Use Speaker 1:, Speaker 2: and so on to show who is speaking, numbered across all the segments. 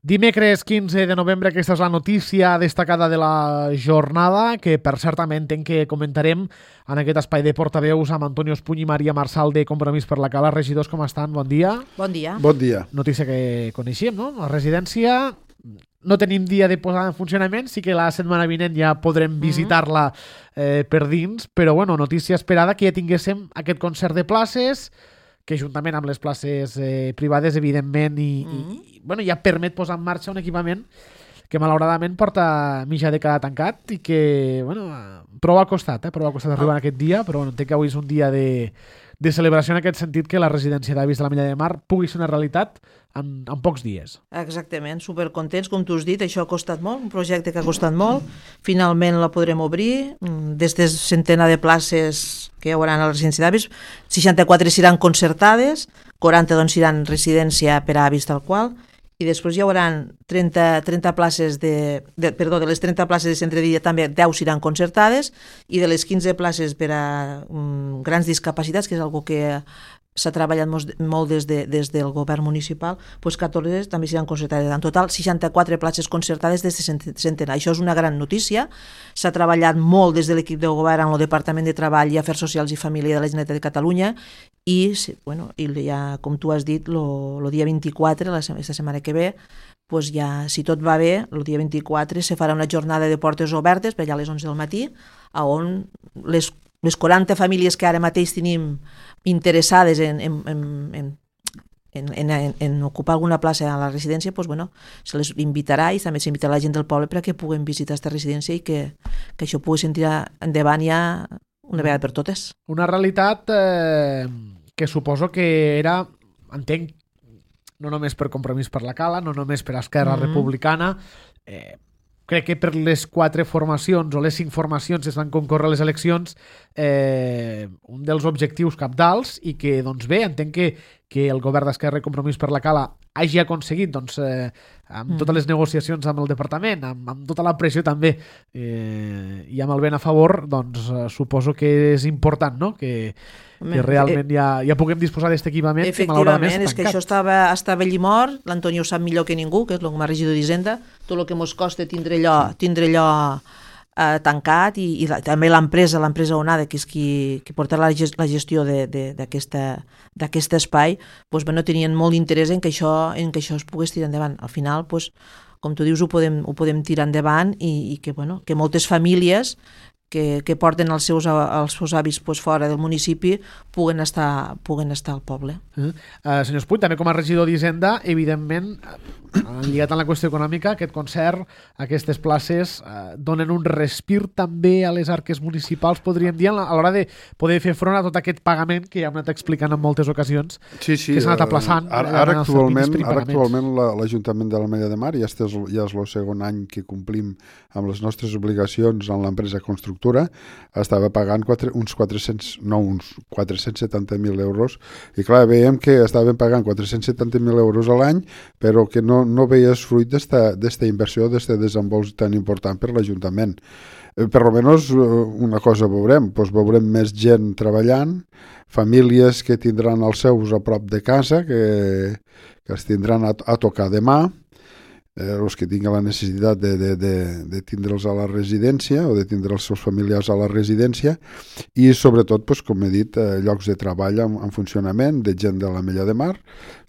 Speaker 1: Dimecres 15 de novembre, aquesta és la notícia destacada de la jornada, que per cert també entenc que comentarem en aquest espai de portaveus amb Antonio Espuny i Maria Marçal de Compromís per la Cala. Regidors, com estan? Bon dia.
Speaker 2: Bon dia.
Speaker 3: Bon dia.
Speaker 1: Notícia que coneixíem, no? La residència no tenim dia de posar en funcionament, sí que la setmana vinent ja podrem visitar-la per dins, però bueno, notícia esperada que ja tinguéssim aquest concert de places, que juntament amb les places privades, evidentment, bueno, ja permet posar en marxa un equipament que malauradament porta mitja dècada tancat i que, bueno, prou ha costat arribar aquest dia, però bueno, entenc que avui és un dia de celebració en aquest sentit, que la residència d'avis de l'Ametlla de Mar pugui ser una realitat en pocs dies.
Speaker 2: Exactament, supercontents, com tu has dit, això ha costat molt, un projecte que ha costat molt, finalment la podrem obrir, d'aquestes centena de places que hi haurà a la residència d'avis, 64 seran concertades, 40 doncs seran residència per a avis tal qual, i després hi haurà 30 places de les 30 places de centre de dia també 10 seran concertades, i de les 15 places per a grans discapacitats, que és algo que s'ha treballat molt des del govern municipal, doncs 14 també seran concertades. En total, 64 places concertades des de centenar. Això és una gran notícia. S'ha treballat molt des de l'equip de govern en el Departament de Treball i Afers Socials i Família de la Generalitat de Catalunya i ja, com tu has dit, el dia 24, aquesta setmana que ve, doncs ja, si tot va bé, el dia 24 se farà una jornada de portes obertes per allà a les 11 del matí, on les 40 famílies que ara mateix tenim interessades en ocupar alguna plaça a la residència, doncs, bueno, se les invitarà i també s'invitarà la gent del poble perquè puguen visitar aquesta residència i que això pugui sentir endavant ja una vegada per totes.
Speaker 1: Una realitat que suposo que era, entenc, no només per Compromís per la Cala, no només per Esquerra Republicana, crec que per les 4 formacions o les 5 formacions que es van concórrer a les eleccions, un dels objectius cabdals, i que, doncs bé, entenc que el govern d'Esquerra i Compromís per la Cala hagi aconseguit, doncs, amb totes les negociacions amb el departament, amb tota la pressió també, i amb el vent a favor, doncs suposo que és important, no?, que realment ja puguem disposar d'aquest equipament.
Speaker 2: Efectivament, és que això estava allí mort, l'Antonio ho sap millor que ningú, que és com a regidor d'Hisenda, tot el que ens costa tindre allò tancat, i també l'empresa Onada, que és qui portarà la gestió d'aquest espai, doncs, no tenien molt d'interès en que això es pogués tirar endavant. Al final, doncs, com tu dius, ho podem tirar endavant i que moltes famílies que porten els seus avis fora del municipi puguen estar al poble.
Speaker 1: Senyor Espuny, també com a regidor d'Hisenda, evidentment, lligat a la qüestió econòmica, aquest concert, aquestes places, donen un respir també a les arques municipals, podríem dir, a l'hora de poder fer front a tot aquest pagament que ja hem anat explicant en moltes ocasions, que s'ha anat aplaçant.
Speaker 3: Ara actualment l'Ajuntament de l'Ametlla de Mar ja és el segon any que complim amb les nostres obligacions en l'empresa constructora, estava pagant uns 470.000 euros, i clar, veiem que estaven pagant 470.000 euros a l'any, però que no veies fruit d'esta inversió, d'este desenvolupament tan important per l'Ajuntament. Per almenys una cosa veurem més gent treballant, famílies que tindran els seus a prop de casa, que es tindran a tocar demà, els que tinguin la necessitat de tindre'ls a la residència o de tindre els seus familiars a la residència, i sobretot, com he dit, llocs de treball en funcionament de gent de l'Ametlla de Mar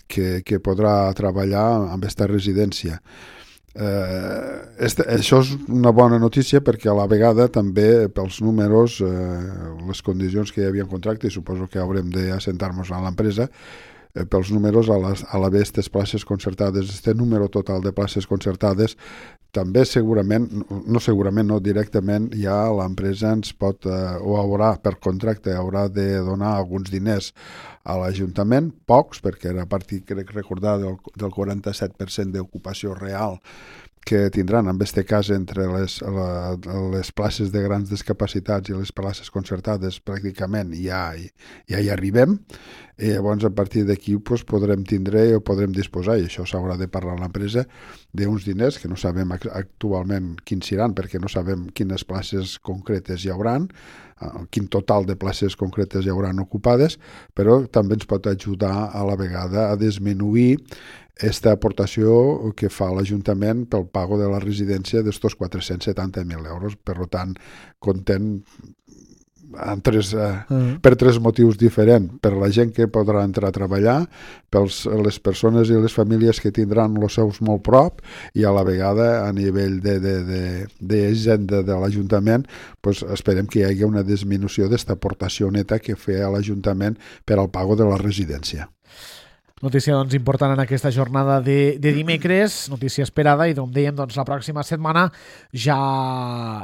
Speaker 3: que podrà treballar amb aquesta residència. Això és una bona notícia perquè a la vegada també pels números, les condicions que hi havia en contracte, i suposo que haurem d'assentar-nos a l'empresa, pels números a l'haver aquestes places concertades, este número total de places concertades, també no directament, ja l'empresa ens pot, o haurà per contracte, haurà de donar alguns diners a l'Ajuntament, pocs, perquè era a partir, crec recordar, del 47% d'ocupació real que tindran, en aquest cas, entre les places de grans discapacitats i les places concertades, pràcticament ja hi arribem, i llavors a partir d'aquí podrem tindre o podrem disposar, i això s'haurà de parlar a l'empresa, d'uns diners que no sabem actualment quins seran, perquè no sabem quines places concretes hi hauran, quin total de places concretes hi hauran ocupades, però també ens pot ajudar a la vegada a disminuir esta aportació que fa l'Ajuntament pel pago de la residència d'estos 470.000 euros. Per tant, content per tres motius diferents: per la gent que podrà entrar a treballar, per les persones i les famílies que tindran els seus molt prop, i a la vegada a nivell d'agenda de l'Ajuntament, pues esperem que hi hagi una disminució d'esta aportació neta que feia l'Ajuntament per al pago de la residència.
Speaker 1: Notícia doncs, important en aquesta jornada de dimecres, notícia esperada, i com dèiem, doncs, la pròxima setmana ja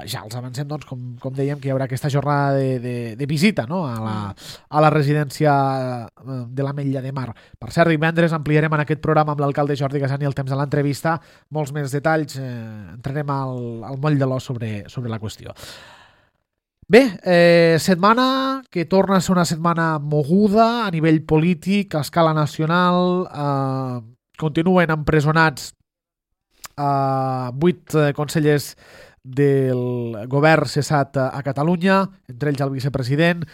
Speaker 1: els avancem, doncs, com dèiem, que hi haurà aquesta jornada de visita, no? a la residència de l'Ametlla de Mar. Per cert, divendres ampliarem en aquest programa amb l'alcalde Jordi Gasani el temps de l'entrevista, molts més detalls, entrarem al moll de l'os sobre la qüestió. Bé, setmana que torna a ser una setmana moguda a nivell polític, a escala nacional. Continuen empresonats 8 consellers del govern cessat a Catalunya, entre ells el vicepresident.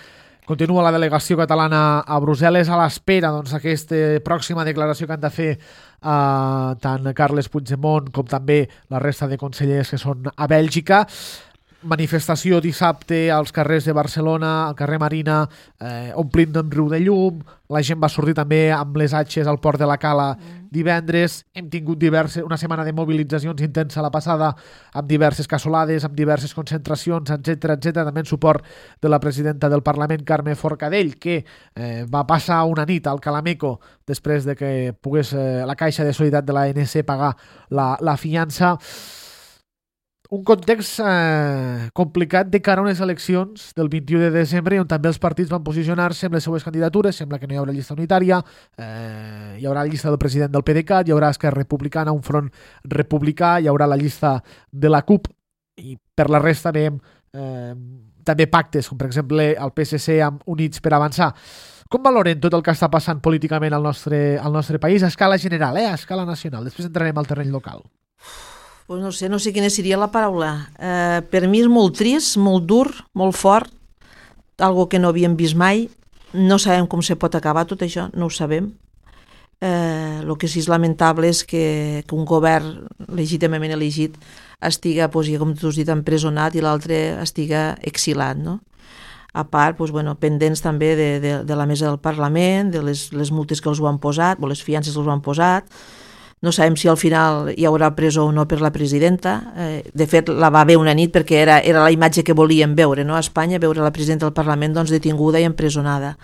Speaker 1: Continua la delegació catalana a Brussel·les a l'espera d'aquesta pròxima declaració que han de fer tant Carles Puigdemont com també la resta de consellers que són a Bèlgica. Manifestació dissabte als carrers de Barcelona, al carrer Marina, omplint d'un riu de llum. La gent va sortir també amb les atxes al port de la Cala divendres. Hem tingut una setmana de mobilitzacions intensa la passada, amb diverses cassolades, amb diverses concentracions, etc. També en suport de la presidenta del Parlament, Carme Forcadell, que va passar una nit al Calameco després de que pogués la Caixa de Solidaritat de l'ANC pagar la fiança. Un context complicat de cara a unes eleccions del 21 de desembre, on també els partits van posicionar-se amb les seues candidatures. Sembla que no hi haurà llista unitària, hi haurà la llista del president del PDeCAT, hi haurà Esquerra Republicana, un front republicà, hi haurà la llista de la CUP, i per la resta veiem també pactes, com per exemple el PSC amb Units per Avançar. Com valoren tot el que està passant políticament al nostre país a escala general, a escala nacional? Després entrarem al terreny local.
Speaker 2: Pues no sé quina seria la paraula. Per mi és molt trist, molt dur, molt fort, algo que no havíem vist mai. No sabem com se pot acabar tot això, no ho sabem. El que sí és lamentable és que un govern legítimament elegit estiga, com tu has dit, empresonat i l'altre estiga exilat, no? A part, pendents també de la mesa del Parlament, de les multes que els ho han posat, o les fiances que els ho han posat. No sabem si al final hi haurà presó o no per la presidenta. De fet, la va haver una nit perquè era la imatge que volíem veure, no? A Espanya, veure la presidenta del Parlament detinguda i empresonada.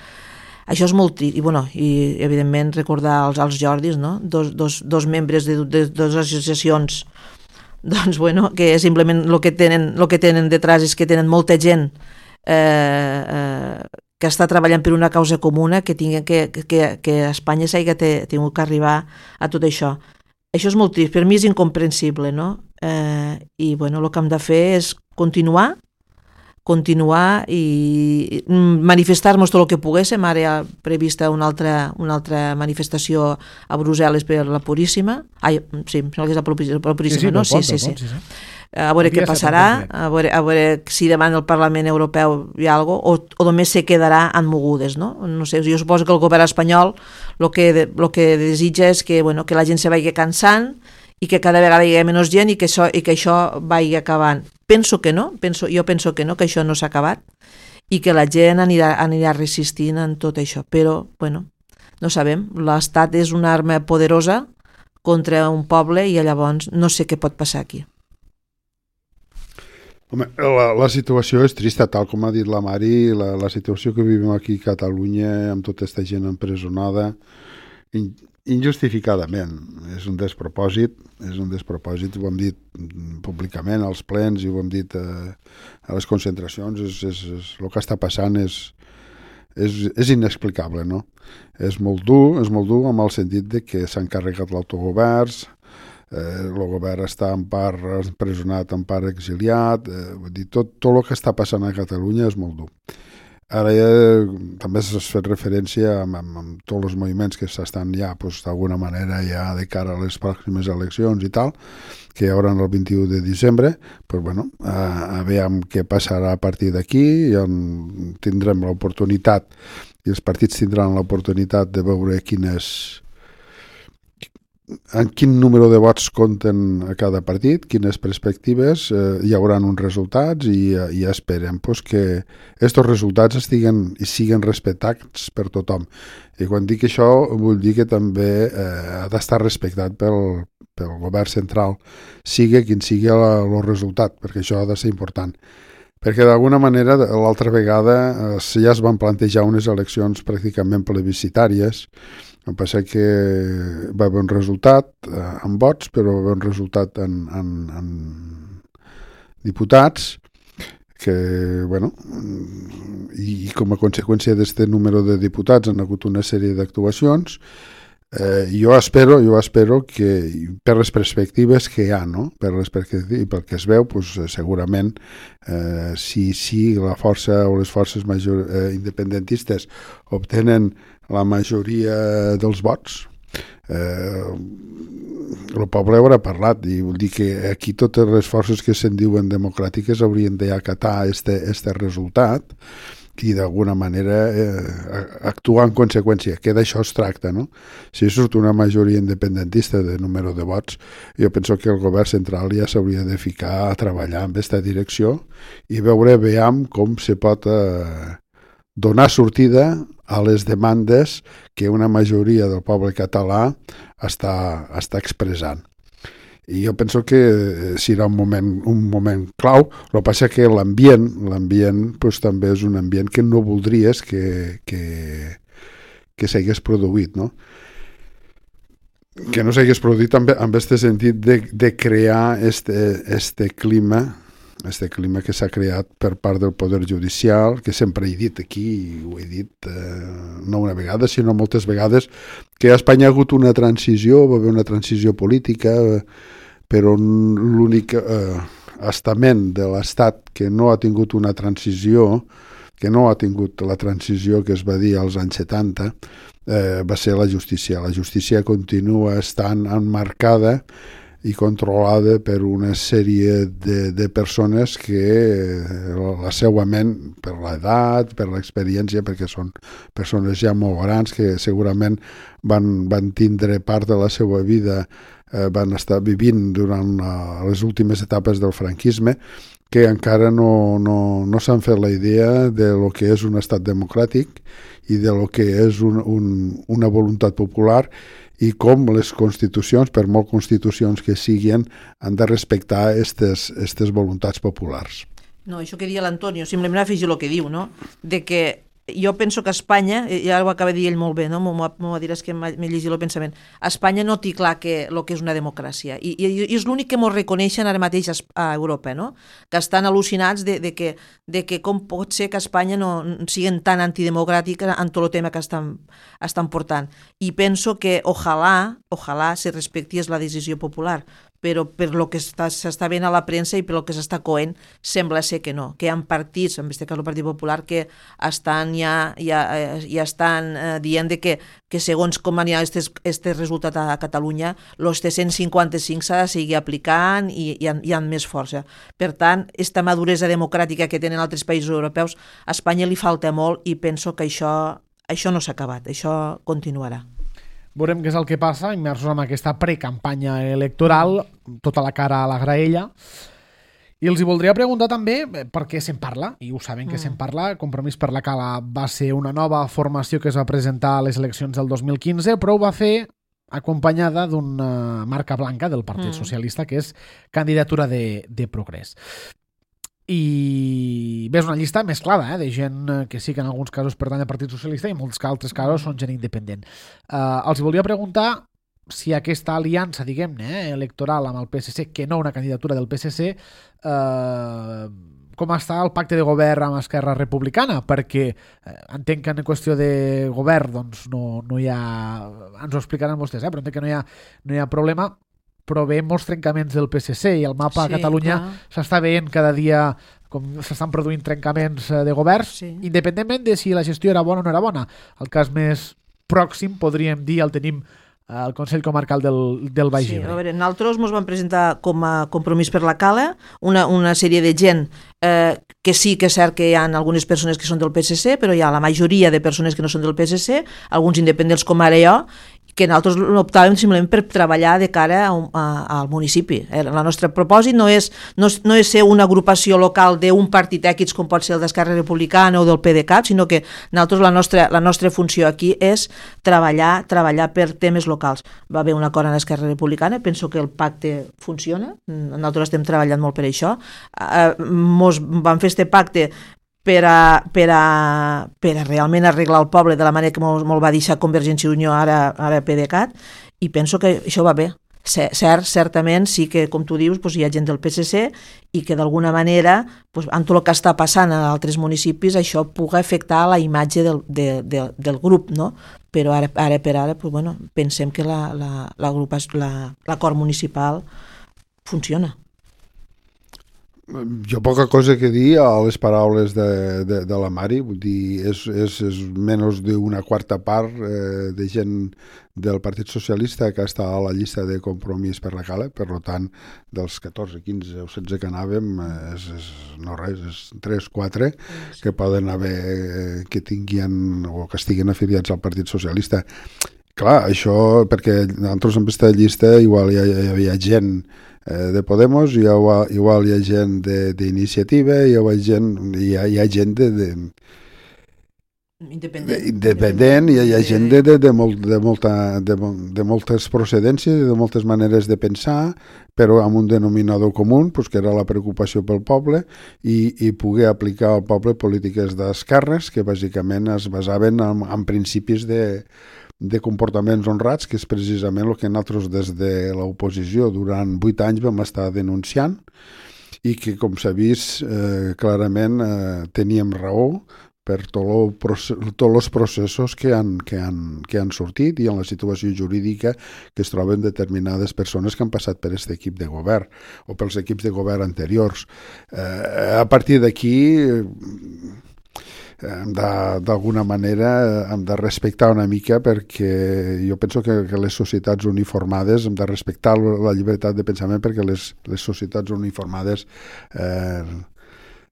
Speaker 2: Això és molt trist. I evidentment, recordar als Jordis, no? Dos membres de dues associacions que simplement el que tenen detrás és que tenen molta gent que està treballant per una causa comuna, que Espanya s'hagi tingut que arribar a tot això. Això és molt trist, per mi és incomprensible, no? I el que hem de fer és continuar i manifestar-nos tot el que poguéssim. Ara hi ha prevista una altra manifestació a Brussel·les per la Puríssima. Sí, em sembla que és la Puríssima, no? Sí. A veure què passarà, a veure si davant del Parlament Europeu hi ha alguna cosa, o només se quedarà en mogudes, no? No sé, jo suposo que el govern espanyol el que desitja és que la gent se vagi cansant i que cada vegada hi hagi menys gent i que això vagi acabant. Penso que no, que això no s'ha acabat i que la gent anirà resistint en tot això, però, no sabem. L'Estat és una arma poderosa contra un poble i llavors no sé què pot passar aquí.
Speaker 3: Home, la situació és trista, tal com ha dit la Mari. La situació que vivim aquí a Catalunya amb tota aquesta gent empresonada injustificadament és un despropòsit, ho hem dit públicament als plens i ho hem dit a les concentracions. El que està passant és inexplicable, no? És molt dur amb el sentit de que s'han carregat l'autogovern. El govern està en part empresonat, en part exiliat. Tot el que està passant a Catalunya és molt dur. Ara també s'ha fet referència amb tots els moviments que s'estan ja, d'alguna manera, ja de cara a les pròximes eleccions i tal, que hi haurà el 21 de desembre. A veure què passarà a partir d'aquí. Tindrem l'oportunitat, i els partits tindran l'oportunitat de veure quines en quin número de vots compten a cada partit, quines perspectives, hi haurà uns resultats i esperem pues, que aquests resultats siguin respectats per tothom. I quan dic això vull dir que també ha d'estar respectat pel govern central, sigui quin sigui el resultat, perquè això ha de ser important. Perquè d'alguna manera l'altra vegada ja es van plantejar unes eleccions pràcticament plebiscitàries. El que passa que va haver un resultat en vots, però va haver un resultat en diputats que, bueno, i com a conseqüència d'aquest número de diputats han hagut una sèrie d'actuacions. Jo espero que per les perspectives que hi ha, no? I pel que es veu, pues, segurament si la força o les forces independentistes obtenen la majoria dels vots, el poble haurà parlat, i vol dir que aquí totes les forces que se'n diuen democràtiques haurien d'acatar este resultat i d'alguna manera actuar en conseqüència, que d'això es tracta, no? Si surt una majoria independentista de número de vots, jo penso que el govern central ja s'hauria de ficar a treballar en aquesta direcció i veiem com se pot donar sortida a les demandes que una majoria del poble català està expressant. I jo penso que serà un moment clau. El que passa que l'ambient pues, també és un ambient que no voldries que s'hagués produït, no? Que no s'hagués produït amb aquest sentit de crear este clima que s'ha creat per part del Poder Judicial, que sempre he dit aquí, i ho he dit no una vegada, sinó moltes vegades, que a Espanya ha hagut una transició, va haver una transició política, però l'únic estament de l'Estat que no ha tingut una transició, que no ha tingut la transició que es va dir als anys 70, va ser la justícia. La justícia continua estant emmarcada i controlada per una sèrie de persones que la seva ment, per l'edat, per l'experiència, perquè són persones ja molt grans que segurament van tindre part de la seva vida, van estar vivint durant les últimes etapes del franquisme, que encara no s'han fet la idea de lo que és un estat democràtic i de lo que és una voluntat popular, i com les constitucions, per molt constitucions que siguin, han de respectar aquestes voluntats populars.
Speaker 2: No, això que deia l'Antonio, simplement afegir el que diu, no? De que jo penso que a Espanya, ja ho acaba de dir ell molt bé, no? M'ho diràs que m'he llegit el pensament, a Espanya no té clar el que és una democràcia, i és l'únic que ens reconeixen ara mateix a Europa, no? Que estan al·lucinats de que com pot ser que a Espanya no siguin tan antidemocràtiques en tot el tema que estan portant, i penso que ojalà se respectés la decisió popular, però per lo que s'està veient a la premsa i per lo que s'està coent, sembla ser que no, que hi ha partits, en aquest cas el Partit Popular, que estan ja estan dient que segons com hi ha aquest resultat a Catalunya, els 155 s'ha de seguir aplicant i hi ha més força. Per tant, aquesta maduresa democràtica que tenen altres països europeus, a Espanya li falta molt i penso que això no s'ha acabat, això continuarà.
Speaker 1: Veurem què és el que passa, immersos en aquesta precampanya electoral, tota la cara a la graella. I els hi voldria preguntar també per què se'n parla, i ho saben que se'n parla. Compromís per la Cala va ser una nova formació que es va presentar a les eleccions del 2015, però ho va fer acompanyada d'una marca blanca del Partit Socialista, que és candidatura de Progrés. I ves una llista mesclada, de gent que sí que en alguns casos pertany al Partit Socialista i en molts altres casos són gent independent. Els volia preguntar si aquesta aliança, diguem-ne, electoral amb el PSC, que no una candidatura del PSC, com està el pacte de govern amb Esquerra Republicana, perquè entenc que en qüestió de govern doncs no hi ha, ens ho explicaran vostès, però entenc que no hi ha problema, però veiem molts trencaments del PSC i el mapa a Catalunya s'està veient cada dia com s'estan produint trencaments de governs, independentment de si la gestió era bona o no era bona. El cas més pròxim, podríem dir, el tenim al Consell Comarcal del Baix Ebre.
Speaker 2: A veure, nosaltres ens vam presentar com a Compromís per la Cala una sèrie de gent que sí que és cert que hi ha algunes persones que són del PSC, però hi ha la majoria de persones que no són del PSC, alguns independents com ara jo, que nosaltres optàvem simplement per treballar de cara al municipi. El nostre propòsit no és ser una agrupació local d'un partit X com pot ser el d'Esquerra Republicana o del PDeCAT, sinó que nosaltres la nostra funció aquí és treballar per temes locals. Va haver un acord en Esquerra Republicana, penso que el pacte funciona, nosaltres estem treballant molt per això. Mos vam fer este pacte per a realment arreglar el poble de la manera que me'l va deixar Convergència i Unió, ara PDeCAT, i penso que això va bé. Certament sí que, com tu dius, hi ha gent del PSC i que d'alguna manera, amb tot el que està passant a altres municipis, això pugui afectar la imatge del grup, no? Però ara per ara pensem que l'acord municipal funciona.
Speaker 3: Jo poca cosa que dir a les paraules de la Mari, vull dir, és menys d'una quarta part de gent del Partit Socialista que està a la llista de Compromís per la Cala, per tant, dels 14, 15 o 16 que anàvem, no res, és 3, 4 que poden haver, que tinguin o que estiguin afiliats al Partit Socialista. Clar, això, perquè nosaltres en aquesta llista igual hi havia gent de Podemos, igual hi ha gent d'iniciativa, hi ha gent independent, hi ha gent de moltes procedències, de moltes maneres de pensar, però amb un denominador comú, que era la preocupació pel poble i poder aplicar al poble polítiques d'esquerres que bàsicament es basaven en principis de comportaments honrats, que és precisament el que nosaltres des de l'oposició durant 8 anys vam estar denunciant i que, com s'ha vist, clarament teníem raó per tots els processos que han sortit i en la situació jurídica que es troben determinades persones que han passat per aquest equip de govern o pels equips de govern anteriors. A partir d'aquí d'alguna manera hem de respectar una mica, perquè jo penso que les societats uniformades hem de respectar la llibertat de pensament, perquè les societats uniformades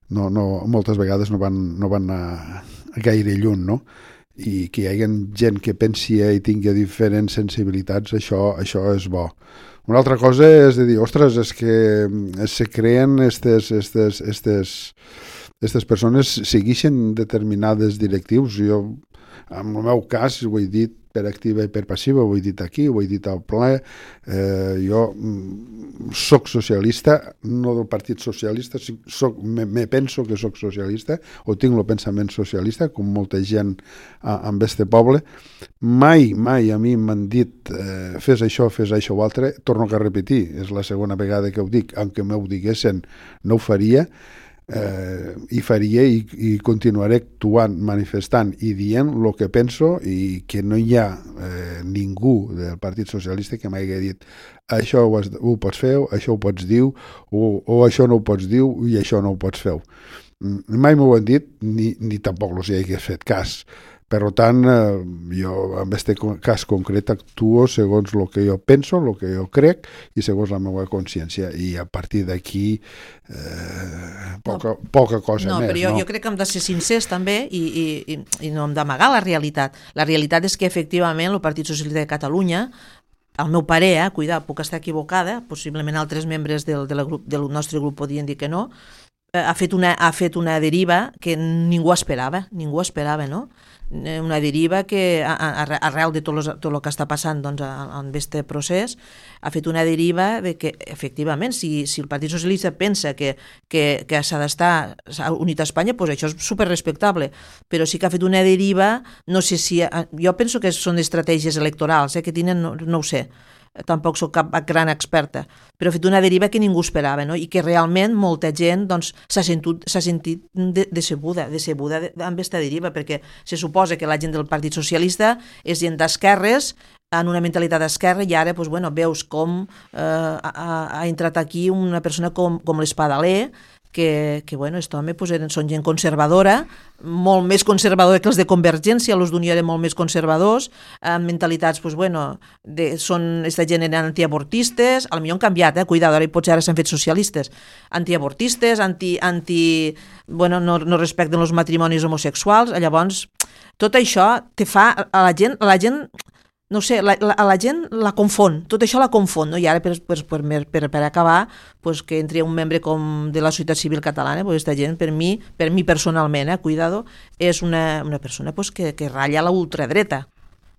Speaker 3: moltes vegades no van a gaire lluny, no? I que hi hagi gent que pensi i tingui diferents sensibilitats, això és bo. Una altra cosa és de dir, ostres, és que se creen aquestes persones segueixen determinades directius. Jo, en el meu cas, ho he dit per activa i per passiva, ho he dit aquí, ho he dit al ple, jo soc socialista, no del Partit Socialista, me penso que soc socialista, o tinc el pensament socialista, com molta gent amb este poble. Mai a mi m'han dit fes això o altre, torno a repetir, és la segona vegada que ho dic, aunque m'ho diguessin, no ho faria, i faria i continuaré actuant, manifestant i dient el que penso, i que no hi ha ningú del Partit Socialista que m'hagi dit això ho pots fer, això ho pots dir, o això no ho pots dir i això no ho pots fer. Mai m'ho han dit, ni tampoc els hi hagués fet cas. Per tant, jo en aquest cas concret actuo segons el que jo penso, el que jo crec i segons la meva consciència, i a partir d'aquí poca cosa més.
Speaker 2: Però jo crec que hem de ser sincers també i no hem d'amagar la realitat. La realitat és que efectivament el Partit Socialista de Catalunya, al meu parer, cuidado, puc estar equivocada, possiblement altres membres del nostre grup podien dir que no, ha fet una deriva que ningú esperava, no? Una deriva que arrel de tot el que està passant en aquest procés ha fet una deriva de que efectivament si el Partit Socialista pensa que s'ha d'estar unit a Espanya, doncs això és superrespectable, però sí que ha fet una deriva, no sé si, jo penso que són estratègies electorals que tenen, no ho sé, tampoc soc cap gran experta, però ha fet una deriva que ningú esperava, no? I que realment molta gent s'ha sentit decebuda amb aquesta deriva, perquè se suposa que la gent del Partit Socialista és gent d'esquerres, en una mentalitat d'esquerra, i ara veus com ha entrat aquí una persona com l'Espadaler, que aquest home són gent conservadora, molt més conservadora que els de Convergència, els d'Unió eren molt més conservadors, amb mentalitats, aquesta gent eren antiavortistes, potser han canviat, cuidado, ara s'han fet socialistes, antiavortistes, no respecten els matrimonis homosexuals. Llavors, tot això te fa a la gent no sé, la gent la confon, tot això la confon, no? I ara per acabar, pues, que entri un membre com de la societat civil catalana, pues, aquesta gent, per mi personalment, cuidado, és una persona pues, que ratlla la ultradreta.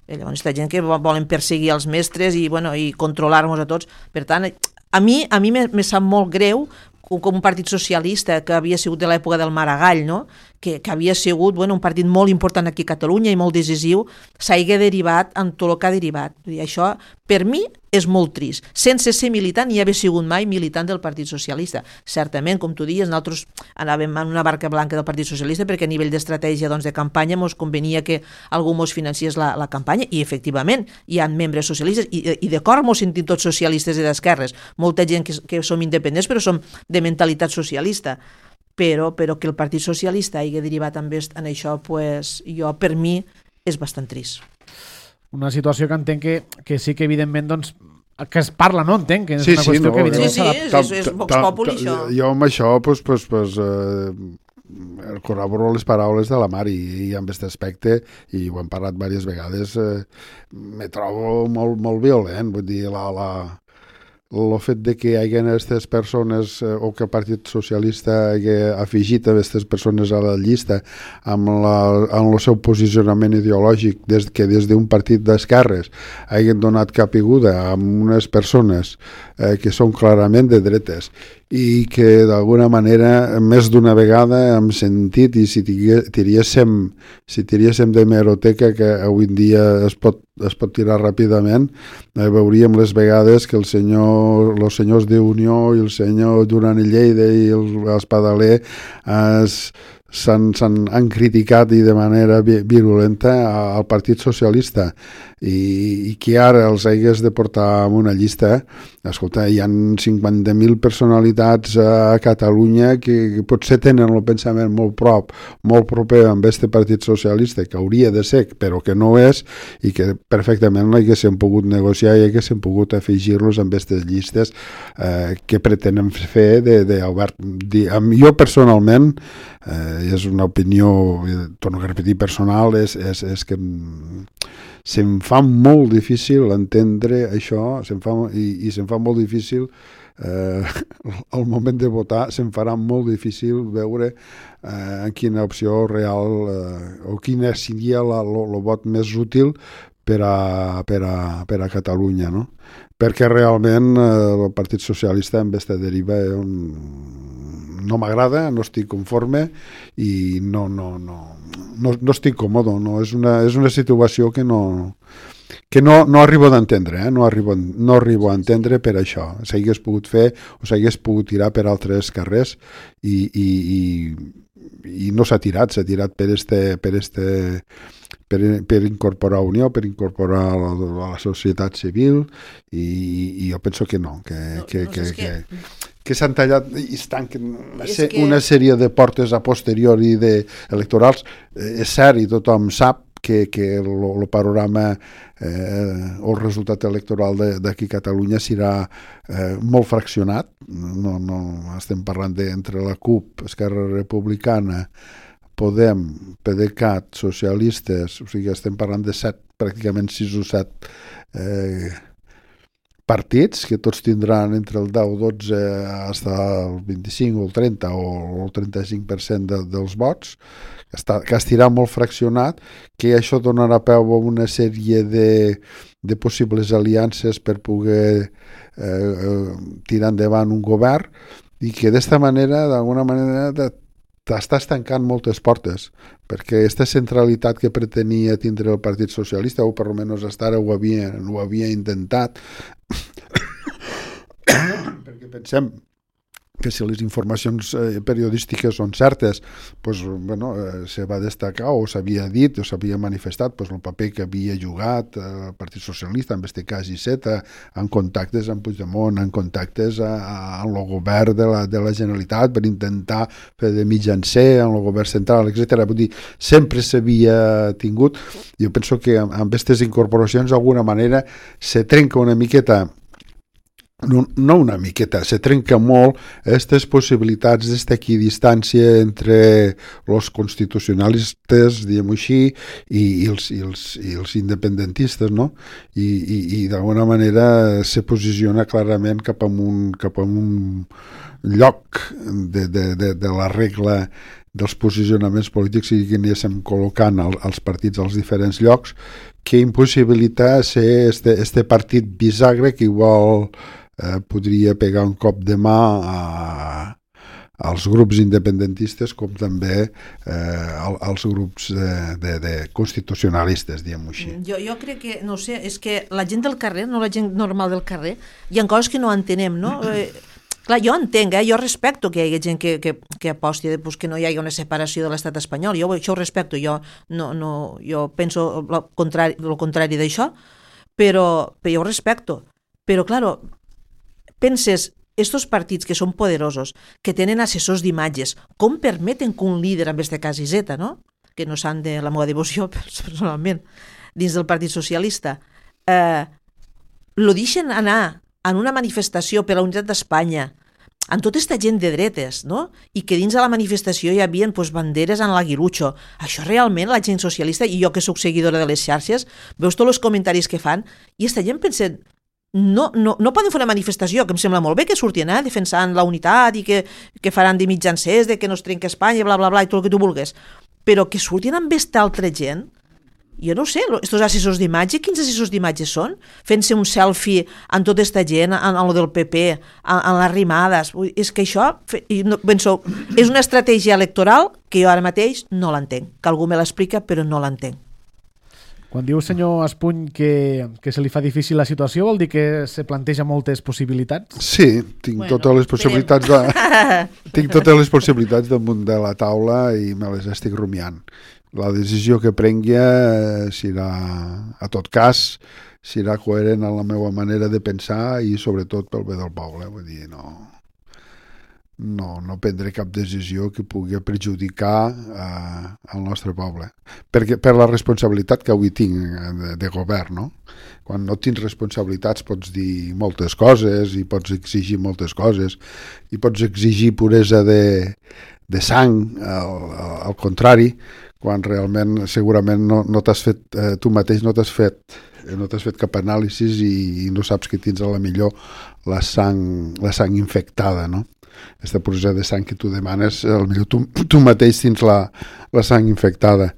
Speaker 2: Llavors, aquesta gent que volen perseguir els mestres i controlar-nos a tots. Per tant, a mi me sap molt greu com un partit socialista que havia sigut de l'època del Maragall, no? que havia sigut un partit molt important aquí a Catalunya i molt decisiu, s'hagi derivat en tot el que ha derivat. I això, per mi, és molt trist. Sense ser militant ni haver sigut mai militant del Partit Socialista. Certament, com tu dius, nosaltres anàvem en una barca blanca del Partit Socialista perquè a nivell d'estratègia de campanya ens convenia que algú ens financiés la campanya i, efectivament, hi ha membres socialistes i d'acord ens sentim tots socialistes i d'esquerres. Molta gent que som independents però som de mentalitat socialista. Però que el Partit Socialista hagi derivat en això, pues, per mi, és bastant trist.
Speaker 1: Una situació que entenc que sí que evidentment doncs, que es parla, no? Entenc que és una qüestió que evidentment
Speaker 2: és Vox Populi, això.
Speaker 3: Jo amb això corroboro les paraules de la Mari i amb aquest aspecte, i ho hem parlat diverses vegades, me trobo molt violent, vull dir, el fet de que hi hagi aquestes persones o que el Partit Socialista hagi afegit aquestes persones a la llista amb el seu posicionament ideològic que des d'un partit d'esquerres hagin donat caiguda a unes persones que són clarament de dretes i que d'alguna manera més d'una vegada hem sentit, i si tiríéssim d'hemeroteca, que avui en dia es pot tirar ràpidament, veuríem les vegades que els senyors d'Unió i el senyor Duran i Lleida i l'Espadaler han criticat i de manera virulenta al Partit Socialista i que ara els hagués de portar en una llista. Escolta, hi ha 50.000 personalitats a Catalunya que potser tenen el pensament molt proper amb aquest Partit Socialista, que hauria de ser, però que no és, i que perfectament no haguéssim pogut negociar i haguéssim pogut afegir-los amb aquestes llistes que pretenen fer d'Albert. Jo personalment, és una opinió, torno a repetir, personal, és que se'm fa molt difícil entendre això, se'm fa molt difícil al moment de votar, se'm farà molt difícil veure quina opció real o quina seria el vot més útil per a Catalunya, no? Perquè realment el Partit Socialista amb aquesta deriva no m'agrada, no estic conforme i no estic còmode, no? És una situació que no arribo a entendre, no arribo a entendre per això. S'hagués pogut fer o s'hagués pogut tirar per altres carrers i no s'ha tirat per incorporar Unió, per incorporar la societat civil, i jo penso que no, que s'han tallat i es tanquen una sèrie de portes a posteriori electorals. És cert i tothom sap que el panorama o el resultat electoral d'aquí a Catalunya serà molt fraccionat. No estem parlant entre la CUP, Esquerra Republicana, Podem, PDeCAT, socialistes, o sigui, estem parlant de pràcticament 6 o 7 partits que tots tindran entre el 10 o 12 fins al 25 o el 30 o el 35% dels vots, que estirà molt fraccionat, que això donarà peu a una sèrie de possibles aliances per poder tirar endavant un govern, i que d'esta manera, d'alguna manera, t'estàs tancant moltes portes, perquè aquesta centralitat que pretenia tindre el Partit Socialista, o per almenys fins ara ho havia intentat, perquè pensem que si les informacions periodístiques són certes, se va destacar o s'havia dit o s'havia manifestat el paper que havia jugat el Partit Socialista, en aquest cas Iceta, en contactes amb Puigdemont, en contactes amb el govern de la Generalitat per intentar fer de mitjancer en el govern central, etc. Vull dir, sempre s'havia tingut. Jo penso que amb aquestes incorporacions d'alguna manera se trenca una miqueta no una miqueta, se trenca molt aquestes possibilitats d'estar aquí a distància entre els constitucionalistes, diguem-ho així, i els independentistes, no? I d'alguna manera se posiciona clarament cap a un lloc de la regla dels posicionaments polítics i que anéssim col·locant els partits als diferents llocs, que impossibilita ser este partit bisagre que igual podria pegar un cop de mà als grups independentistes com també als grups de constitucionalistes, diguem-ho així.
Speaker 2: Jo crec que, no sé, és que la gent del carrer, no la gent normal del carrer, hi ha coses que no entenem, no? Clar, jo entenc, jo respecto que hi hagi gent que aposti pues, que no hi hagi una separació de l'estat espanyol, jo això ho respecto, jo penso el contrari d'això, però jo ho respecto. Però, claro, penses, estos partits que són poderosos, que tenen assessors d'imatges, com permeten que un líder, en aquest cas Iseta, no? Que no s'han de la meva devoció personalment, dins del Partit Socialista, lo deixen anar en una manifestació per la unitat d'Espanya, amb tota aquesta gent de dretes, no? I que dins de la manifestació hi havia banderes en l'aguilucho. Això realment la gent socialista, i jo que soc seguidora de les xarxes, veus tots els comentaris que fan, i aquesta gent pensa, no poden fer una manifestació, que em sembla molt bé que surtin defensant la unitat i que faran de mitjancers, de que no es trenca Espanya, bla, bla, bla, i tot el que tu vulguis. Però que surtin amb aquesta altra gent, jo no sé, estos assessors d'imatge, quins assessors d'imatge són? Fent-se un selfie amb tota aquesta gent, en lo del PP, en les rimades. És que això, penso, és una estratègia electoral que jo ara mateix no l'entenc, que algú me l'explica, però no l'entenc.
Speaker 1: Quan diu, senyor Espuny, que se li fa difícil la situació, vol dir que se planteja moltes possibilitats?
Speaker 3: Sí, tinc totes les possibilitats tinc totes les possibilitats damunt de la taula i me les estic rumiant. La decisió que prengui serà, a tot cas, serà coherent amb la meva manera de pensar i sobretot pel bé del poble. Vull dir, no prendré cap decisió que pugui perjudicar el nostre poble. Per la responsabilitat que avui tinc de govern, no? Quan no tens responsabilitats pots dir moltes coses i pots exigir moltes coses i pots exigir puresa de sang, al contrari, quan realment segurament no t'has fet, tu mateix no t'has fet cap anàlisi i no saps que tens a la millor la sang infectada, no? Aquesta puresa de sang que tu demanes, potser tu mateix tens la sang infectada,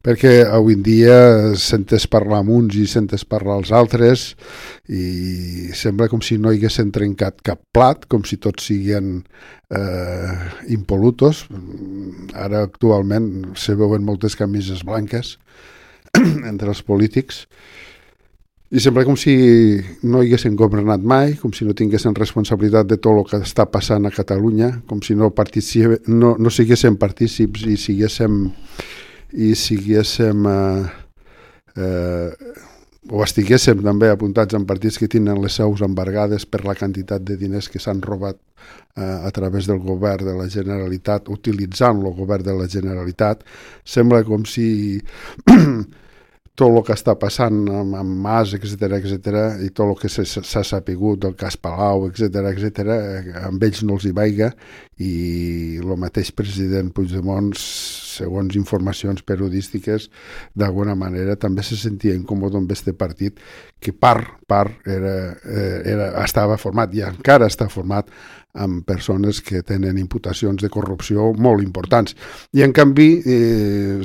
Speaker 3: perquè avui en dia sentes parlar amb uns i sentes parlar als altres i sembla com si no hi haguessin trencat cap plat, com si tots siguin impolutos. Ara actualment se veuen moltes camises blanques entre els polítics i sembla com si no hi haguessin governat mai, com si no tinguessin responsabilitat de tot el que està passant a Catalunya, com si no siguessin partícips i siguéssim o estiguéssim també apuntats en partits que tenen les seus embargades per la quantitat de diners que s'han robat a través del govern de la Generalitat, utilitzant el govern de la Generalitat. Sembla com si tot el que està passant amb Mas, etc i tot el que s'ha sapigut del cas Palau, etc, amb ells no els hi vaiga, i el mateix president Puigdemont, segons informacions periodístiques, d'alguna manera també se sentia incòmode amb aquest partit que estava format i encara està format amb persones que tenen imputacions de corrupció molt importants. I en canvi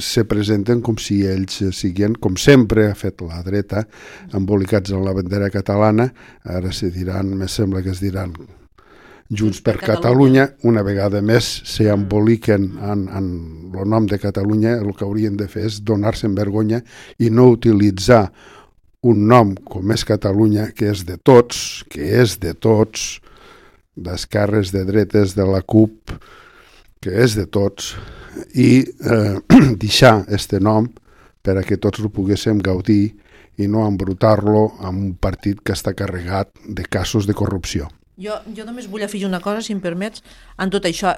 Speaker 3: se presenten com si ells siguin, com sempre ha fet la dreta, embolicats en la bandera catalana. Ara se diran, me sembla que es diran Junts per Catalunya, una vegada més s'emboliquen en el nom de Catalunya. El que haurien de fer és donar-se'n vergonya i no utilitzar un nom com és Catalunya, que és de tots, d'esquerres, de dretes, de la CUP, que és de tots, i deixar este nom per a que tots ho poguéssim gaudir i no embrutar-lo amb un partit que està carregat de casos de corrupció.
Speaker 2: Jo només vull afegir una cosa, si em permets, en tot això.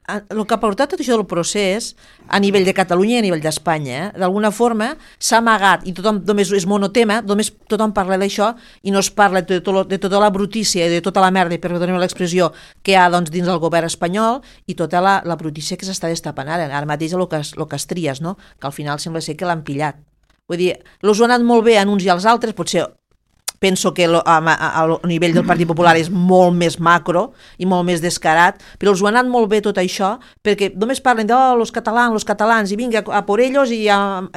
Speaker 2: el que ha portat tot això del procés a nivell de Catalunya i a nivell d'Espanya, d'alguna forma s'ha amagat i tothom només és monotema, només tothom parla d'això i no es parla de tota la brutícia i de tota la merda, per donar l'expressió, que hi ha doncs, dins del govern espanyol i tota la brutícia que s'està destapant ara mateix el que es tries, no? Que al final sembla ser que l'han pillat. Vull dir, els ho ha anat molt bé a uns i als altres, potser penso que a nivell del Partit Popular és molt més macro i molt més descarat, però els ho ha anat molt bé tot això, perquè només parlen de los catalans, i vinga a por ellos i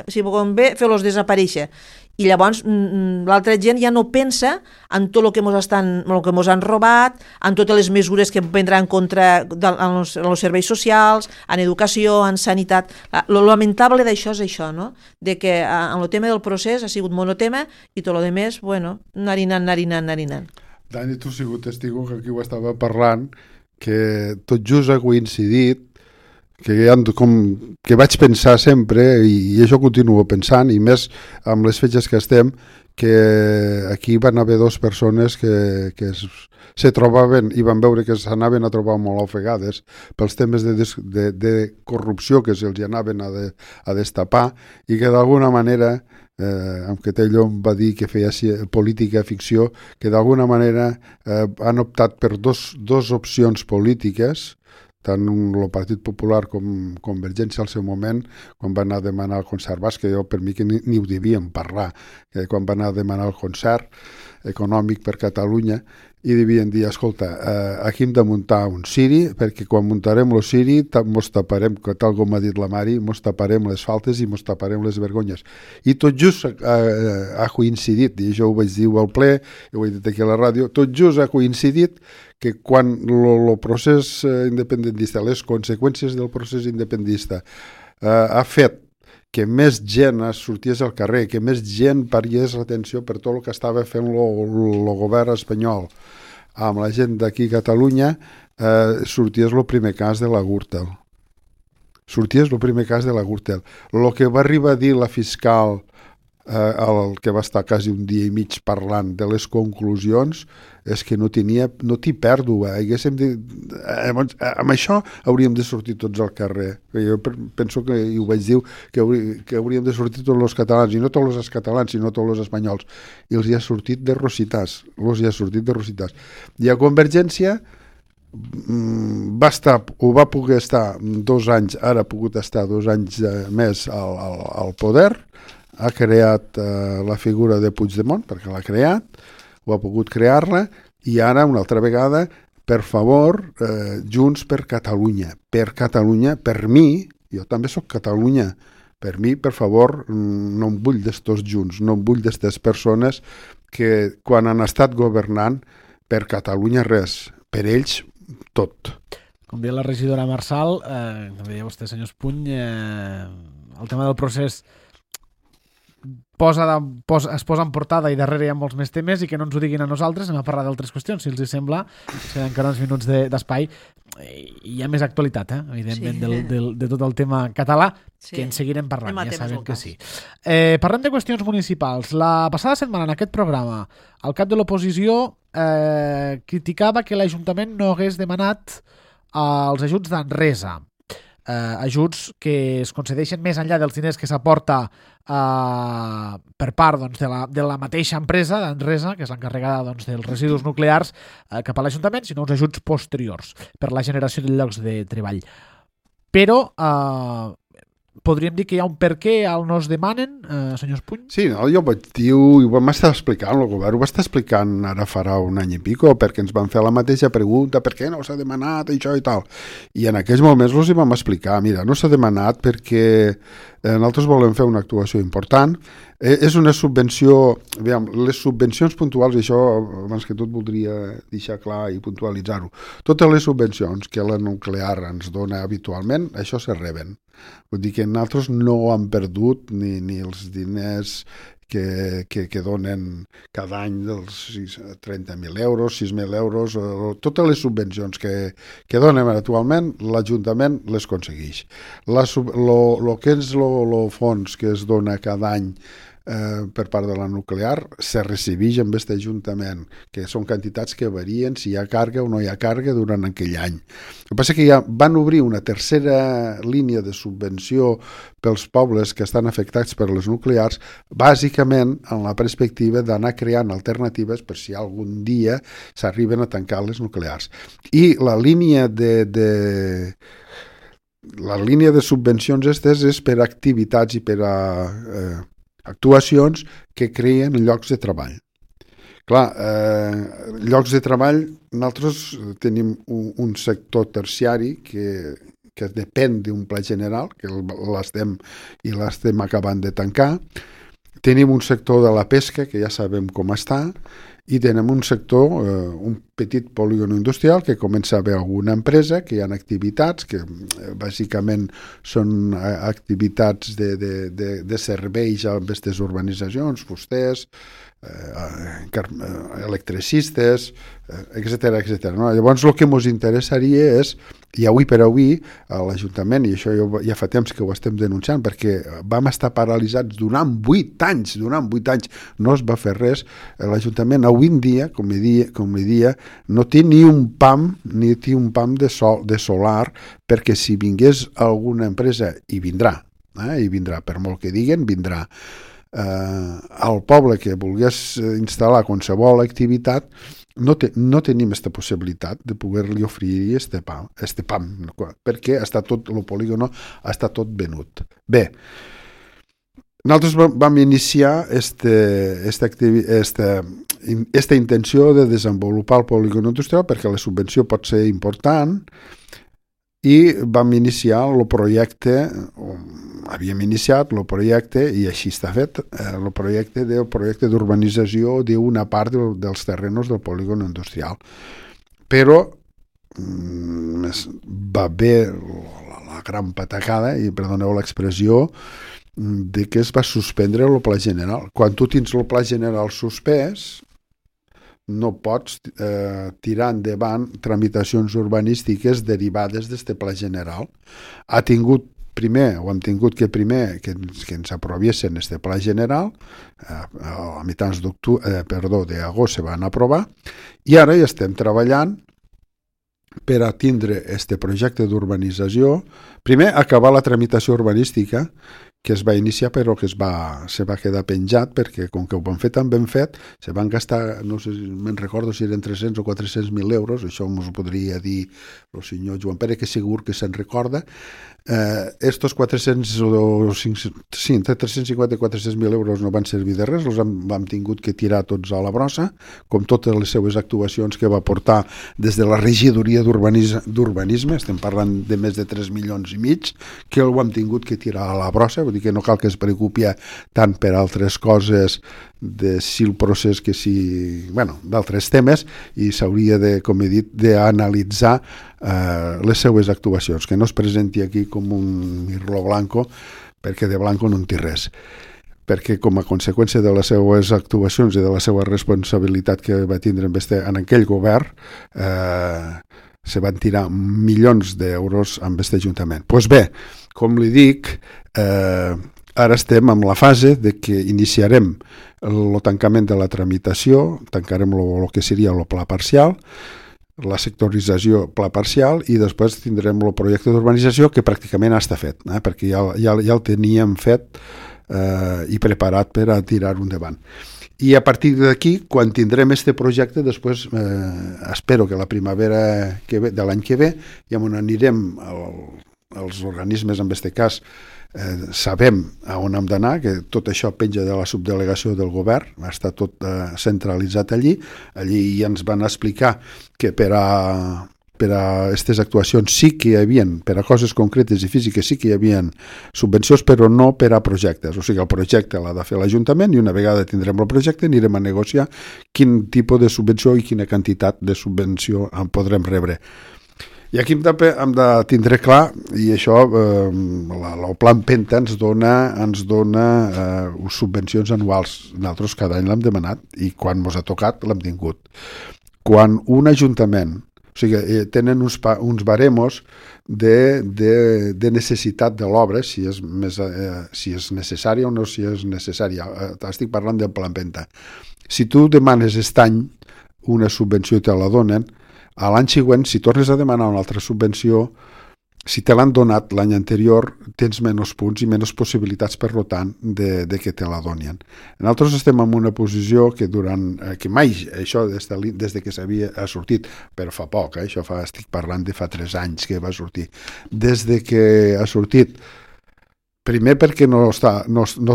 Speaker 2: si convé fer-los desaparèixer. I llavors l'altra gent ja no pensa en tot el que mos han robat, en totes les mesures que prendran contra els serveis socials, en educació, en sanitat. Lo lamentable d'això és això, no? De que en el tema del procés ha sigut monotema i tot el demés, bueno, narinant.
Speaker 3: Dani, tu has sigut testigo que aquí ho estava parlant, que tot just ha coincidit que vaig pensar sempre, i això continuo pensant, i més amb les fetges que estem, que aquí van haver dues persones que se trobaven i van veure que s'anaven a trobar molt ofegades pels temes de corrupció que se'ls anaven a destapar, i que d'alguna manera, que Tellón va dir que feia política ficció, que d'alguna manera han optat per dos opcions polítiques, tant el Partit Popular com Convergència al seu moment, quan va anar a demanar el concert basc, que jo per mi que ni ho devíem parlar, quan va anar a demanar el concert econòmic per Catalunya, i devien dir, escolta, aquí hem de muntar un Siri, perquè quan muntarem el Siri mos taparem, tal com ha dit la Mari, mos taparem les faltes i mos taparem les vergonyes. I tot just ha coincidit, i això ho vaig dir al ple, ho he dit aquí a la ràdio, tot just ha coincidit que quan el procés independentista, les conseqüències del procés independentista ha fet que més gent sortís al carrer, que més gent pariés l'atenció per tot el que estava fent el govern espanyol amb la gent d'aquí a Catalunya, sorties el primer cas de la Gürtel. Sorties el primer cas de la Gürtel. El que va arribar a dir la fiscal, el que va estar quasi un dia i mig parlant de les conclusions, és que no t'hi pèrdua. Amb això hauríem de sortir tots al carrer. Jo penso que, i ho vaig dir, que hauríem de sortir tots els catalans, i no tots els catalans, sinó tots els espanyols. I els hi ha sortit de rositats. I a Convergència va poder estar 2 anys, ara ha pogut estar 2 anys més al poder, ha creat la figura de Puigdemont, perquè l'ha creat, ho ha pogut crear-la, i ara, una altra vegada, per favor, Junts per Catalunya. Per Catalunya, per mi, jo també sóc Catalunya, per mi, per favor, no em vull d'estos Junts, no em vull d'estes persones que, quan han estat governant, per Catalunya res, per ells tot.
Speaker 1: Com deia la regidora Marçal, com deia vostè, senyor Espuny, el tema del procés es posa en portada i darrere hi ha molts més temes, i que no ens ho diguin a nosaltres, anem a parlar d'altres qüestions, si els sembla, queden encara uns minuts d'espai, i hi ha més actualitat, evidentment, de tot el tema català, que en seguirem parlant, ja sabem que sí. Parlem de qüestions municipals. La passada setmana, en aquest programa, el cap de l'oposició criticava que l'Ajuntament no hagués demanat els ajuts d'Enresa, ajuts que es concedeixen més enllà dels diners que s'aporta per part de la mateixa empresa d'Enresa, que és l'encarregada dels residus nuclears, cap a l'Ajuntament, sinó uns ajuts posteriors per la generació de llocs de treball. Però podríem dir que hi ha un per què al no es demanen, senyor Espuny?
Speaker 3: Sí, no, jo vaig dir, ho vam estar explicant, el govern ho va estar explicant ara farà un any i pico, perquè ens van fer la mateixa pregunta, per què no s'ha demanat això i tal. I en aquells moments els hi vam explicar, mira, no s'ha demanat perquè nosaltres volem fer una actuació important, és una subvenció, aviam, les subvencions puntuals, i això abans que tot voldria deixar clar i puntualitzar-ho, totes les subvencions que la nuclear ens dona habitualment, això se reben. Vull dir que nosaltres no han perdut ni els diners que donen cada any dels 30.000 euros, 6.000 euros, totes les subvencions que donen actualment, l'Ajuntament les aconsegueix. El que és el fons que es dona cada any per part de la nuclear se recibeix amb aquest ajuntament, que són quantitats que varien si hi ha càrrega o no hi ha càrrega durant aquell any. El que passa que ja van obrir una tercera línia de subvenció pels pobles que estan afectats per les nuclears, bàsicament en la perspectiva d'anar creant alternatives per si algun dia s'arriben a tancar les nuclears. I la línia de subvencions aquestes és per activitats i per a actuacions que creen llocs de treball. Clar, llocs de treball, nosaltres tenim un sector terciari que depèn d'un pla general, que l'estem acabant de tancar. Tenim un sector de la pesca, que ja sabem com està, i tenim un sector, un petit polígon industrial que comença a haver alguna empresa, que hi ha activitats que bàsicament són activitats de serveis a aquestes urbanitzacions, fusters, electricistes, etc. No? Llavors el que ens interessaria és, i avui per avui l'Ajuntament, i això ja fa temps que ho estem denunciant, perquè vam estar paralitzats durant 8 anys, no es va fer res, l'Ajuntament avui en dia, com li dia, no té ni un pam de solar, perquè si vingués alguna empresa, i vindrà, per molt que diguen, vindrà, al poble que volgués instal·lar qualsevol activitat, no tenim aquesta possibilitat de poder-li oferir este pam, perquè el polígon està tot venut. Bé, nosaltres vam iniciar aquesta intenció de desenvolupar el polígon industrial perquè la subvenció pot ser important, i vam iniciar el projecte, havíem iniciat el projecte, i així està fet, el projecte d'urbanització d'una part dels terrenos del polígon industrial. Però va haver la gran patacada, i perdoneu l'expressió, de que es va suspendre el pla general. Quan tu tens el pla general suspès, no pots tirar endavant tramitacions urbanístiques derivades d'aquest pla general. Hem tingut que ens aproviessin aquest pla general, a mitjans d'agost se van aprovar, i ara ja estem treballant per a tindre aquest projecte d'urbanització, primer acabar la tramitació urbanística, que es va iniciar però que se va quedar penjat perquè com que ho van fer tan ben fet se van gastar, no sé, me'n recordo si eren 300 o 400.000 euros, això ens ho podria dir el senyor Joan Pere, que segur que se'n recorda. Estos 350 i 400.000 euros no van servir de res, els vam tingut que tirar tots a la brossa, com totes les seues actuacions que va portar des de la regidoria d'urbanisme, estem parlant de més de 3,5 milions, que ho hem tingut que tirar a la brossa. Vull dir que no cal que es preocupi tant per altres coses de si el procés que si... d'altres temes, i s'hauria de, com he dit, d'analitzar les seues actuacions, que no es presenti aquí com un mirlo blanco, perquè de blanco no en té res. Perquè com a conseqüència de les seues actuacions i de la seva responsabilitat que va tindre en aquell govern, se van tirar milions d'euros amb aquest ajuntament. Doncs bé, com li dic, ara estem en la fase de que iniciarem el tancament de la tramitació, tancarem el que seria el pla parcial, la sectorització pla parcial, i després tindrem el projecte d'urbanització, que pràcticament està fet, perquè ja el teníem fet i preparat per a tirar-ho endavant. I a partir d'aquí, quan tindrem aquest projecte, després espero que la primavera de l'any que ve ja on anirem els organismes, en aquest cas sabem a on hem d'anar, que tot això penja de la subdelegació del govern, està tot centralitzat allí ja ens van explicar que per a aquestes actuacions sí que hi havia, per a coses concretes i físiques sí que hi havia subvencions, però no per a projectes. O sigui, el projecte l'ha de fer l'Ajuntament, i una vegada tindrem el projecte anirem a negociar quin tipus de subvenció i quina quantitat de subvenció en podrem rebre. I aquí hem de tindre clar, i això el Plan Penta ens dona subvencions anuals. Nosaltres cada any l'hem demanat i quan ens ha tocat l'hem tingut. Quan un ajuntament O sigui, tenen uns baremos de necessitat de l'obra, si és necessària o no si és necessària. Estic parlant del Pla Empenta. Si tu demanes aquest any una subvenció i te la donen, a l'any següent, si tornes a demanar una altra subvenció, si te l'han donat l'any anterior, tens menys punts i menys possibilitats, per tant, de que te la donin. Nosaltres estem en una posició que que mai, això des que s'havia sortit, però fa poc, això estic parlant de fa 3 anys que va sortir, des de que ha sortit, primer perquè no es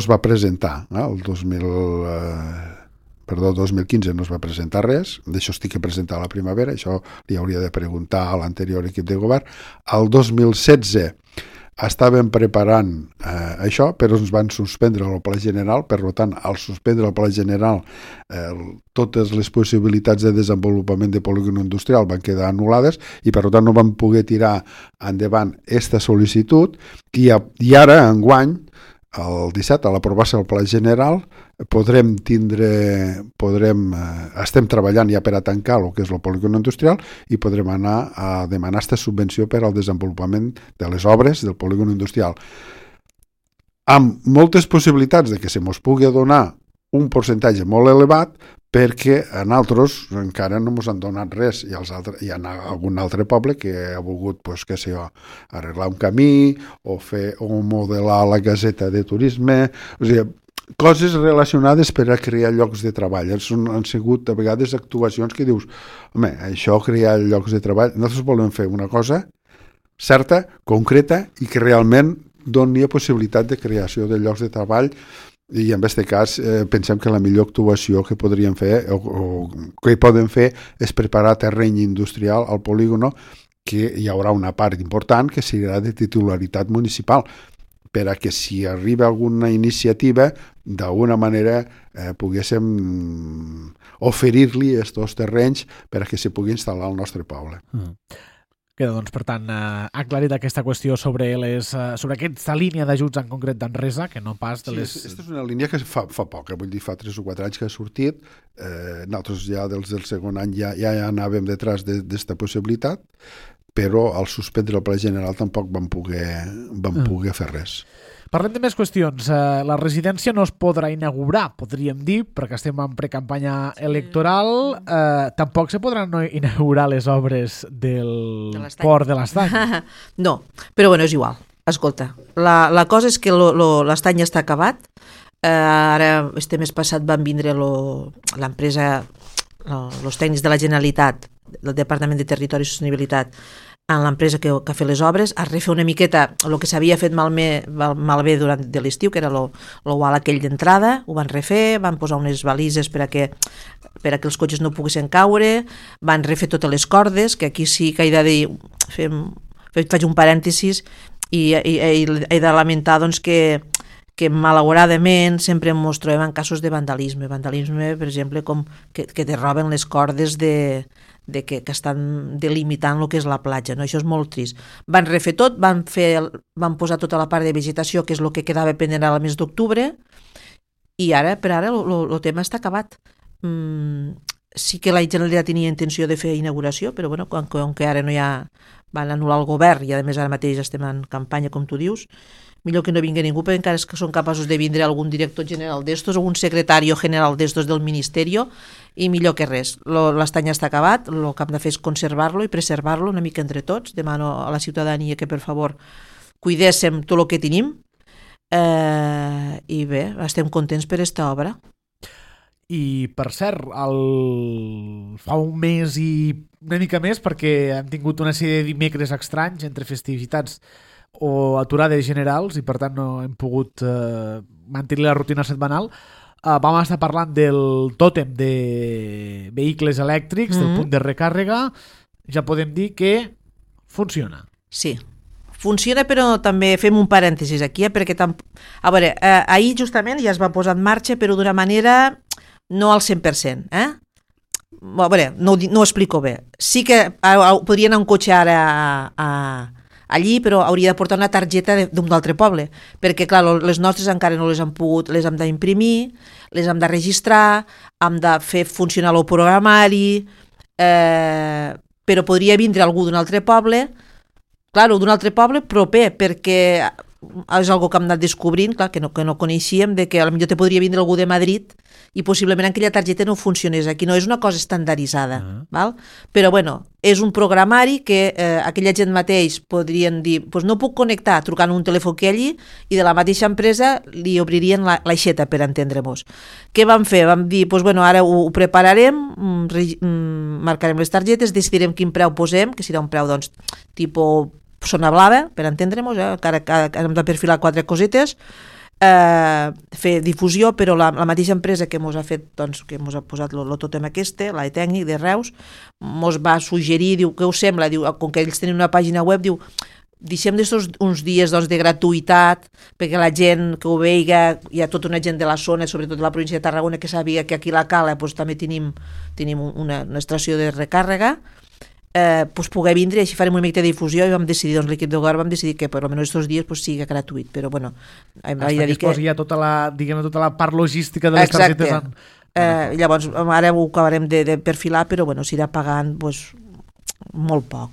Speaker 3: va presentar, el 2015 no es va presentar res, d'això estic que presentar a la primavera, això li hauria de preguntar a l'anterior equip de govern. Al 2016 estàvem preparant això, però ens van suspendre el Pla General, per tant, al suspendre el Pla General, totes les possibilitats de desenvolupament de polígon industrial van quedar anul·lades i, per tant, no vam poder tirar endavant aquesta sol·licitud i ara, enguany, el 17, a l'aprovar-se el Pla General, estem treballant ja per a tancar el que és el polígon industrial i podrem anar a demanar aquesta subvenció per al desenvolupament de les obres del polígon industrial. Amb moltes possibilitats de que se mos pugui donar un percentatge molt elevat, perquè a nosaltres encara no ens han donat res i hi ha algun altre poble que ha volgut arreglar un camí o modelar la caseta de turisme, o sigui, coses relacionades per a crear llocs de treball. Han sigut a vegades actuacions que dius, home, això crear llocs de treball, nosaltres volem fer una cosa certa, concreta i que realment doni possibilitat de creació de llocs de treball. I en aquest cas pensem que la millor actuació que podríem fer o que podem fer és preparar terreny industrial al polígono, que hi haurà una part important que serà de titularitat municipal, per a que si arriba alguna iniciativa d'alguna manera poguéssim oferir-li aquests terrenys per a que s'hi pugui instal·lar al nostre poble.
Speaker 1: Queda, doncs, per tant, aclarit aquesta qüestió sobre aquesta línia d'ajuts en concret d'Enresa, que no pas de les...
Speaker 3: Sí, aquesta és una línia que fa poc, vull dir, fa 3 o 4 anys que ha sortit. Nosaltres ja del segon any ja anàvem detrás d'esta possibilitat, però al suspendre el Pla General tampoc vam poder fer res.
Speaker 1: Parlem de més qüestions. La residència no es podrà inaugurar, podríem dir, perquè estem en precampanya electoral. Tampoc se podran inaugurar les obres del port de l'Estany.
Speaker 2: No, però bueno, és igual. Escolta, la cosa és que l'Estany ja està acabat. Ara, este mes passat van vindre l'empresa, els tècnics de la Generalitat, del Departament de Territori i Sostenibilitat, en l'empresa que ha fet les obres, a refer una miqueta el que s'havia fet malbé durant de l'estiu, que era l'oval aquell d'entrada, ho van refer, van posar unes balises per a que els cotxes no poguessin caure, van refer totes les cordes, que aquí sí que he de dir, faig un parèntesis, i he de lamentar doncs, que malauradament sempre ens trobem en casos de vandalisme, per exemple, com que te roben les cordes que estan delimitant el que és la platja, no? Això és molt trist. Van refer tot, van posar tota la part de vegetació, que és el que quedava pendent al mes d'octubre, i per ara el tema està acabat. Sí que la Generalitat tenia intenció de fer inauguració, però bueno, com que ara no hi ha... van anul·lar el govern i a més ara mateix estem en campanya, com tu dius, millor que no vingui ningú, perquè encara és que són capaços de vindre algun director general d'estos o un secretari general d'estos del Ministeri, i millor que res. L'Estany està acabat, el que hem de fer és conservar-lo i preservar-lo una mica entre tots. Demano a la ciutadania que, per favor, cuidéssim tot el que tenim, i bé, estem contents per aquesta obra.
Speaker 1: I, per cert, fa un mes i una mica més, perquè hem tingut una sèrie de dimecres estranys entre festivitats o aturades generals i per tant no hem pogut mantenir la rutina setmanal, vam estar parlant del tòtem de vehicles elèctrics, del punt de recàrrega. Ja podem dir que funciona.
Speaker 2: Sí, funciona, però també fem un parèntesis aquí, perquè a veure, ahir justament ja es va posar en marxa, però d'una manera no al 100%, A veure, no ho explico bé. Sí que podria anar un cotxe ara allí, però hauria de portar una targeta d'un altre poble, perquè clar, les nostres encara no les hem pogut, les hem d'imprimir, les hem de registrar, hem de fer funcionar el programari, però podria vindre algú d'un altre poble, d'un altre poble proper, perquè és algo que hem anat descobrint, clar, que no coneixíem, de que potser te podria vindre algú de Madrid i possiblement aquella targeta no funcionés. Aquí no és una cosa estandarditzada, val? Però bueno, és un programari que aquella gent mateix podrien dir, pues no puc connectar trucant un telèfon que allí, i de la mateixa empresa li obririen l'aixeta, per entendre-nos. Què vam fer? Vam dir, pues bueno, ara ho prepararem, marcarem les targetes, decidirem quin preu posem, que serà un preu, doncs, tipus zona blava, per entendre-nos, encara hem de perfilar 4 cosetes, fer difusió, però la mateixa empresa que ens ha fet, doncs, que ens ha posat el tòtem aquest, l'Aetècnic de Reus, ens va suggerir, diu, què us sembla? Diu, com que ells tenen una pàgina web, diu, deixem uns dies, doncs, de gratuïtat, perquè la gent que ho veiga, hi ha tota una gent de la zona, sobretot de la província de Tarragona, que sabia que aquí a la Cala doncs, també tenim una estació de recàrrega, pues poder vindre, així farem una mica de difusió, i vam decidir, doncs l'equip de govern vam decidir que per almenys aquests dies pues, sigui gratuït, però bueno,
Speaker 1: hem de dir que hi ha tota la part logística de les targetes.
Speaker 2: Llavors ara ho acabarem de perfilar, però bueno, s'irà pagant pues, molt poc.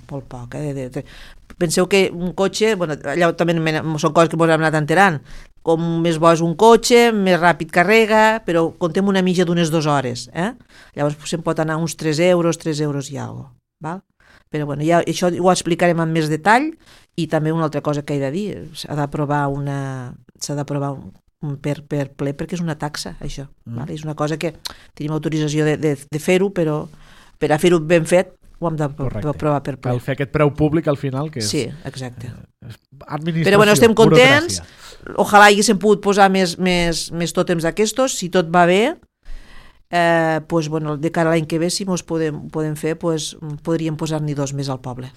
Speaker 2: Penseu que un cotxe, bueno, allà també són coses que ens hem anat enterant, com més bo és un cotxe, més ràpid carrega, però contem una mitja d'unes 2 hores, llavors se'n pot anar uns 3 euros i alguna cosa, val? Però bueno, ja, això ho explicarem amb més detall, i també una altra cosa que he de dir, s'ha d'aprovar per ple, perquè és una taxa, això. Vale? És una cosa que tenim autorització de fer-ho, però per a fer-ho ben fet ho hem d'aprovar per ple.
Speaker 1: Cal fer aquest preu públic al final, que és...
Speaker 2: Sí, exacte.
Speaker 1: Administració,
Speaker 2: però bueno, estem contents,
Speaker 1: burocràcia.
Speaker 2: Ojalà haguéssim pogut posar més tòtems d'aquestos, si tot va bé, pues, bueno, de cara a l'any que ve, si mos podem fer, pues, podríem posar-n'hi 2 més al poble.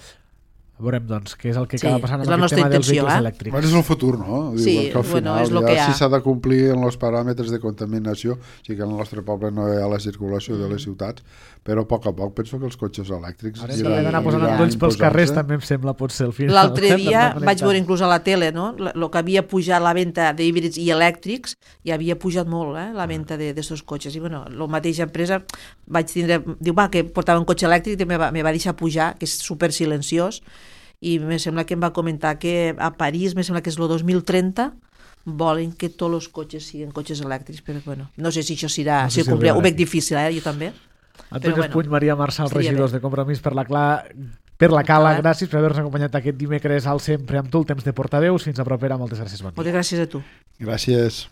Speaker 1: Veurem, doncs, què és el que acaba passant amb
Speaker 2: aquest
Speaker 1: tema dels vehicles elèctrics.
Speaker 3: Bueno, és el futur, no?
Speaker 2: Sí,
Speaker 3: que al final,
Speaker 2: és el que hi ha.
Speaker 3: Si s'ha de complir en els paràmetres de contaminació, sí que en el nostre poble no hi ha la circulació de les ciutats, però a poc penso que els cotxes elèctrics...
Speaker 1: Ara s'ha d'anar posant endolls pels carrers, també em sembla, potser, al final.
Speaker 2: L'altre dia vaig veure inclús a la tele, no? El que havia pujat la venda d'híbrids i elèctrics, i havia pujat molt, la venda d'aquests cotxes. I, bueno, la mateixa empresa vaig tindre... Diu, que portava un cotxe elèctric i me va deixar pujar, que és super silenciós, i me sembla que em va comentar que a París, me sembla que és el 2030, volen que tots els cotxes siguin cotxes elèctrics, però bueno, no sé si això serà, no sé si ho veig difícil, jo també.
Speaker 1: Antoni Puig, Maria Marçal, regidors de Compromís per la Cala, gràcies per haver-nos acompanyat aquest dimecres al Sempre amb tu, el temps de portaveus. Fins a propera, moltes gràcies.
Speaker 2: Moltes gràcies a tu.
Speaker 3: Gràcies.